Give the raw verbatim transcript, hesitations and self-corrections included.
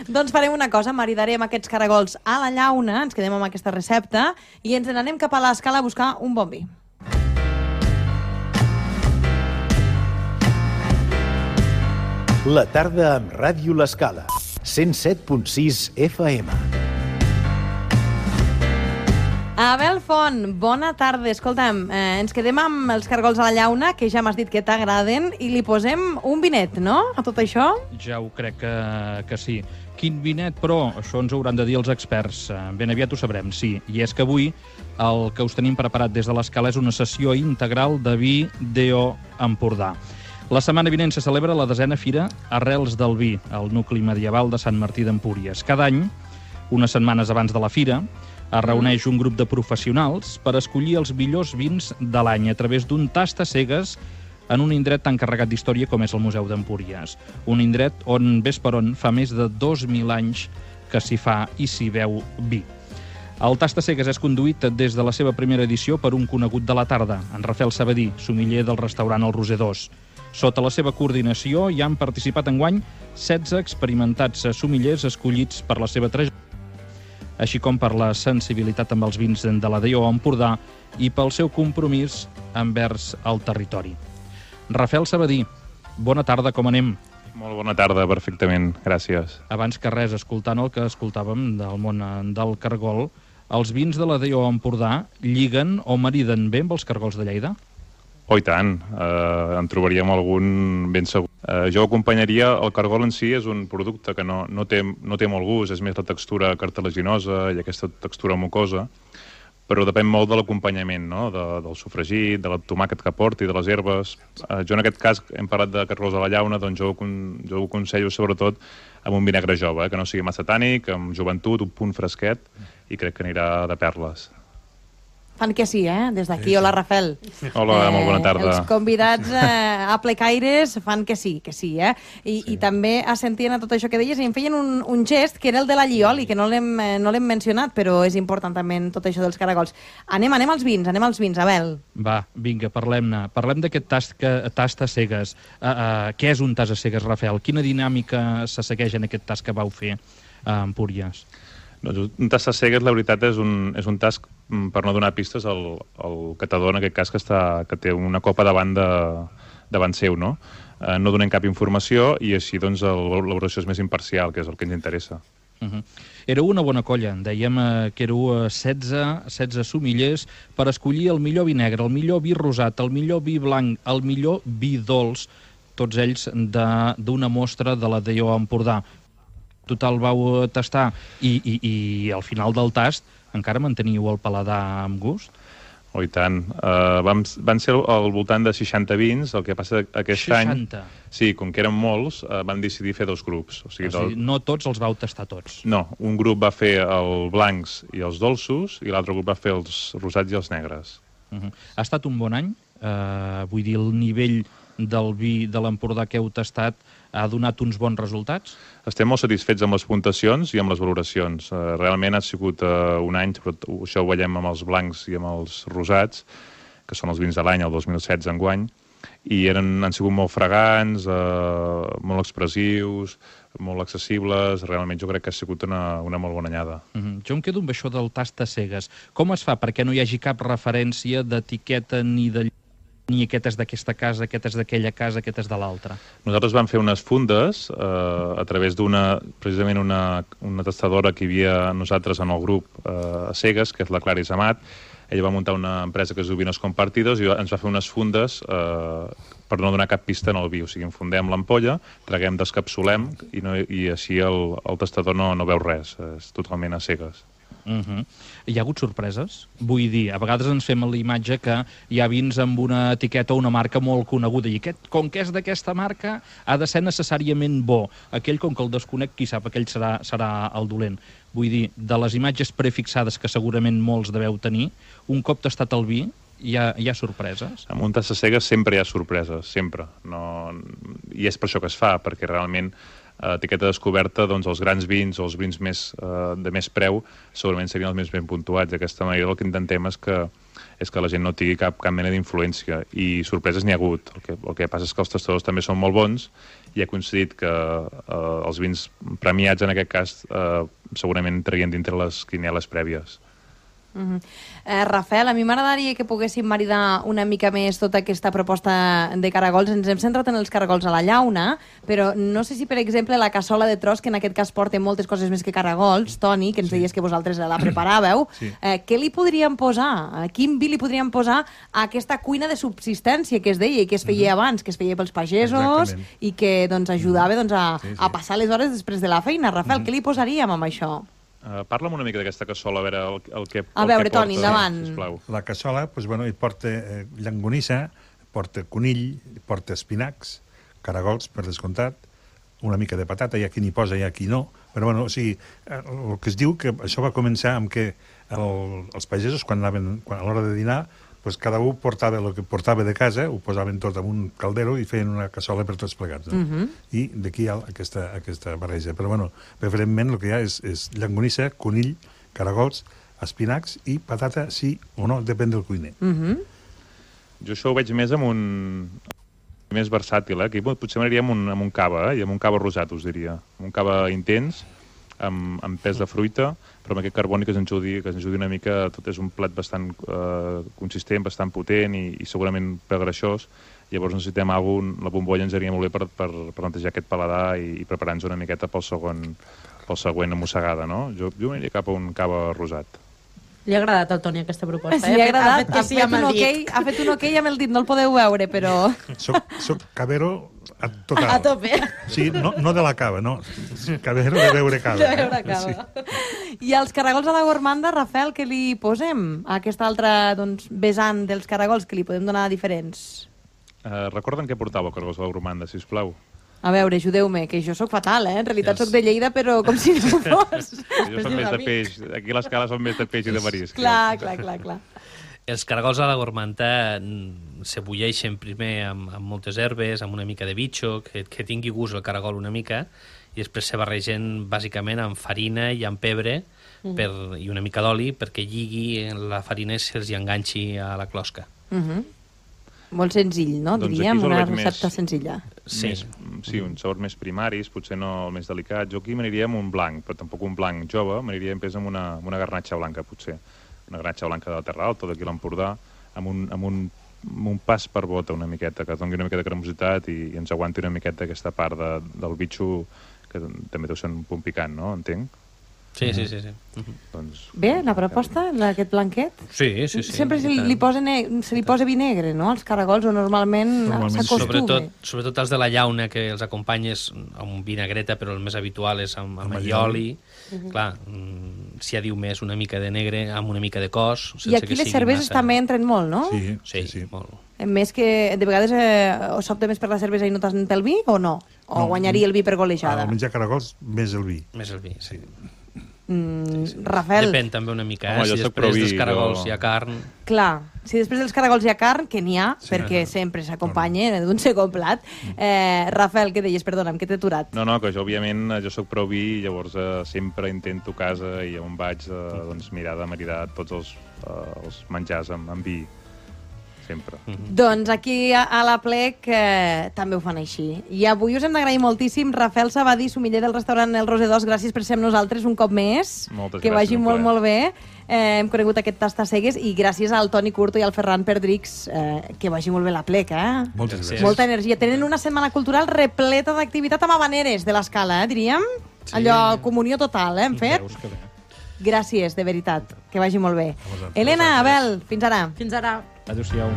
Doncs farem una cosa, maridarem aquests caragols a la llauna, ens quedem amb aquesta recepta i ens n'anem cap a l'Escala a buscar un bon vi. La tarda amb Ràdio L'Escala, cent set punt sis F M. Abel Font, bona tarda. Escolta'm, eh, ens quedem amb els caragols a la llauna, que ja m'has dit que t'agraden, i li posem un vinet, no?, a tot això? Ja ho crec que, que sí. Quin vinet, però, això ens ho hauran de dir els experts. Ben aviat ho sabrem, sí. I és que avui el que us tenim preparat des de l'Escala és una sessió integral de vi D O Empordà. La setmana vinent se celebra la desena fira Arrels del Vi, al nucli medieval de Sant Martí d'Empúries. Cada any, unes setmanes abans de la fira, es reuneix un grup de professionals per escollir els millors vins de l'any a través d'un tast a cegues en un indret tan carregat d'història com és el Museu d'Empúries. Un indret on, ves per on, fa més de dos mil anys que s'hi fa i s'hi veu vi. El tast a cegues és conduït des de la seva primera edició per un conegut de la tarda, en Rafael Sabadí, sommelier del restaurant El Roser. Sota la seva coordinació hi han participat enguany setze experimentats sommeliers escollits per la seva trajectòria, així com per la sensibilitat amb els vins de la D O Empordà i pel seu compromís envers el territori. Rafael Sabadí, bona tarda, com anem? Molt bona tarda, perfectament, gràcies. Abans que res, escoltant el que escoltàvem del món del cargol, els vins de la D O Empordà lliguen o mariden bé amb els cargols de Lleida? Oh, i tant, eh, en trobaríem algun ben segur. Eh, jo acompanyaria, el cargol en si és un producte que no, no, té, no té molt gust, és més la textura cartilaginosa i aquesta textura mucosa, però depèn molt de l'acompanyament, no? de, del sofregit, de la tomàquet que porti, de les herbes. Eh, jo en aquest cas hem parlat de cargols a la llauna, doncs jo, jo ho aconsello sobretot amb un vinagre jove, eh? que no sigui massa tànic, amb joventut, un punt fresquet, i crec que anirà de perles. Fan que sí, eh? Des d'aquí. Hola, Rafael. Hola, eh, molt bona tarda. Els convidats eh, a plecaires fan que sí, que sí, eh? I, sí. I també assentien a tot això que deies i em feien un, un gest que era el de la llioli, que no l'hem no l'hem mencionat, però és important també en tot això dels caragols. Anem, anem als vins, anem als vins, Abel. Va, vinga, parlem-ne. Parlem d'aquest tast, que, tast a cegues. Uh, uh, què és un tast a cegues, Rafael? Quina dinàmica se segueix en aquest tast que vau fer a Empúries? Doncs un tast a cegues, la veritat, és un, és un tast, per no donar pistes, al, al catador, en aquest cas, que, està, que té una copa davant, de, davant seu, no? Eh, no donem cap informació i així doncs l'elaboració és més imparcial, que és el que ens interessa. Uh-huh. Éreu una bona colla, dèiem eh, que éreu setze, setze sommeliers per escollir el millor vi negre, el millor vi rosat, el millor vi blanc, el millor vi dolç, tots ells d'una mostra de la D O Empordà. Total vau tastar i, i, i al final del tast encara manteniu el paladar amb gust? Oh, i tant. Uh, vam, van ser al voltant de seixanta vins, el que passa aquest seixanta. any... Sí, com que eren molts, uh, vam decidir fer dos grups. O sigui, o sigui, del... no tots els vau tastar tots. No, un grup va fer els blancs i els dolços i l'altre grup va fer els rosats i els negres. Uh-huh. Ha estat un bon any? Uh, vull dir, el nivell del vi de l'Empordà que heu tastat ha donat uns bons resultats? Estem molt satisfets amb les puntuacions i amb les valoracions. Uh, realment ha sigut uh, un any, però això ho veiem amb els blancs i amb els rosats, que són els vins de l'any, el dos mil setze enguany, i eren, han sigut molt fragants, uh, molt expressius, molt accessibles. Realment jo crec que ha sigut una, una molt bona anyada. Uh-huh. Jo em quedo amb això del tast a cegues. Com es fa perquè no hi hagi cap referència d'etiqueta ni de ni aquest és d'aquesta casa, aquest és d'aquella casa, aquest és de l'altra? Nosaltres vam fer unes fundes eh, a través d'una, precisament una, una tastadora que hi havia nosaltres en el grup eh, a cegues, que és la Claris Amat. Ella va muntar una empresa que es diu Vinos Compartidos i ens va fer unes fundes eh, per no donar cap pista en el vi. O sigui, enfundem l'ampolla, traguem, descapsulem i, no, i així el, el tastador no, no veu res, és totalment a cegues. Uh-huh. Hi ha hagut sorpreses? Vull dir, a vegades ens fem la imatge que hi ha vins amb una etiqueta o una marca molt coneguda i aquest, com que és d'aquesta marca, ha de ser necessàriament bo. Aquell, com que el desconec, qui sap, aquell serà, serà el dolent. Vull dir, de les imatges prefixades que segurament molts deveu tenir, un cop tastat el vi, hi ha, hi ha sorpreses? Amb un tast a cegues sempre hi ha sorpreses, sempre. No... I és per això que es fa, perquè realment a etiqueta descoberta, doncs els grans vins o els vins més, eh, de més preu segurament serien els més ben puntuats. D'aquesta manera el que intentem és que, és que la gent no tingui cap, cap mena d'influència i sorpreses n'hi ha hagut. El que, el que passa és que els tastadors també són molt bons i ha coincidit que eh, els vins premiats, en aquest cas, eh, segurament traien dintre les quinieles prèvies. Uh -huh. eh, Rafael, a mi m'agradaria que poguéssim maridar una mica més tota aquesta proposta de caragols. Ens hem centrat en els caragols a la llauna, però no sé si, per exemple, la cassola de tros, que en aquest cas porta moltes coses més que caragols, Toni, que ens sí. deies que vosaltres la preparàveu, sí. eh, què li podríem posar? Quin vi li podríem posar a aquesta cuina de subsistència que es deia i que es feia uh -huh. abans, que es feia pels pagesos Exactament. i que doncs, ajudava doncs, a, sí, sí. a passar les hores després de la feina? Rafael, uh -huh. què li posaríem amb això? Uh, parla'm una mica d'aquesta cassola, a veure el, el que A veure, el que porta, Toni, endavant. sisplau. La cassola, doncs, bueno, hi porta eh, llangonissa, porta conill, porta espinacs, caragols, per descomptat, una mica de patata, hi ha qui n'hi posa, hi ha qui no, però bueno, o sigui, el que es diu que això va començar amb que el, els pagesos, quan anaven, quan, a l'hora de dinar, pues cada un portava el que portava de casa, ho posaven tot en un caldero i feien una cassola per tots plegats. No? Uh -huh. I d'aquí hi ha aquesta, aquesta barreja. Però, bueno, preferentment el que hi ha és, és llangonissa, conill, caragols, espinacs i patata, sí o no, depèn del cuiner. Uh -huh. Jo això ho veig més amb un... més versàtil, eh? Aquí potser m'aniria amb, un, amb un cava, eh? I amb un cava rosat, us diria. Amb un cava intens, amb, amb pes de fruita, però amb aquest carboni que ens ajudi, que ens ajudi una mica. Tot és un plat bastant eh, consistent, bastant potent i, i segurament per greixós. Llavors necessitem alguna cosa, la bombolla ens aniria molt bé per, per, per netejar aquest paladar i, i preparar-nos una miqueta pel segon, pel següent mossegada, no? Jo, jo m'aniria cap a un cava rosat. Li ha agradat al Toni aquesta proposta. Sí, li ha agradat. Ha fet, ha fet, ha fet, un, okay, ha fet un ok amb el dit, no el podeu veure, però... Soc, soc cavero a total. A tope. Sí, no, no de la cava, no. Cavero de beure cava. De beure cava. Sí. I als caragols a la gormanda, Rafael, què li posem? A aquesta altra doncs, vessant dels caragols, que li podem donar diferents? Uh, recorden què portava el caragols a la gormanda, sisplau? A veure, ajudeu-me, que jo sóc fatal, eh? En realitat yes. sóc de Lleida, però com si no fos. Jo soc més de peix. Aquí a l'escala són més de peix i de marisc. Clar, clar, clar, clar. Els caragols a la gormanta se bulleixen primer amb, amb moltes herbes, amb una mica de bitxo, que, que tingui gust el caragol una mica, i després se barregen bàsicament amb farina i amb pebre uh-huh. per, i una mica d'oli perquè lligui la farina i se'ls enganxi a la closca. Uh-huh. Molt senzill, no? Doncs diríem, una recepta més, senzilla. Sí. Més, sí, uns sabors més primaris, potser no el més delicat. Jo aquí m'aniria amb un blanc, però tampoc un blanc jove, m'aniria més amb una, amb una garnatxa blanca, potser. Una garnatxa blanca de la Terra Alta, d'aquí l'Empordà, amb un, amb, un, amb un pas per bota una miqueta, que doni una mica de cremositat i, i ens aguanti una miqueta aquesta part de, del bitxo, que també deu ser un punt picant, no? Entenc? Sí, sí, sí. sí. Uh-huh. Doncs, bé, la proposta, aquest blanquet? Sí, sí, sí. Sempre se li, posa se li posa vi negre, no?, als caragols, o normalment, normalment s'acostuma. Sobretot, sobretot els de la llauna, que els acompanyes amb un vinagreta, però el més habitual és amb, amb allioli. Uh-huh. Clar, si ja diu més una mica de negre, amb una mica de cos... I aquí les cerveses massa... també entren molt, no? Sí, sí, sí. sí. molt. Més que, de vegades, eh, s'opta més per la cervesa i no tant pel vi, o no? O no, guanyaria el vi per golejada? Al menjar caragols, més el vi. Més el vi, sí. Mm, Rafael... Depèn també una mica, eh? Home, si després dels caragols jo... hi ha carn... Clar, si després dels caragols hi ha carn, que n'hi ha, sí, perquè no. sempre s'acompanya d'un segon plat. Eh, Rafael, què deies? Perdona'm, que t'he aturat. No, no, que jo, òbviament, jo sóc prou vi, llavors eh, sempre intento a casa i on vaig eh, doncs, mirar de maridar tots els, eh, els menjars amb, amb vi. Sempre. Mm-hmm. Doncs aquí a, a la Plec eh, també ho fan així. I avui us hem d'agrair moltíssim. Rafael Sabadí, somiller del restaurant El Rosedós, gràcies per ser amb nosaltres un cop més. Moltes que gràcies. vagi molt, molt bé. Eh, hem conegut aquest Tastacegues i gràcies al Toni Curto i al Ferran Perdrix, eh, que vagi molt bé la Plec, eh? Moltes gràcies. Molta energia. Tenen una setmana cultural repleta d'activitat amb habaneres de l'escala, eh, diríem? Sí. Allò, comunió total, eh, hem fet? Gràcies, de veritat. Que vagi molt bé. Helena, Abel, fins ara. Fins ara. Adéu-siau.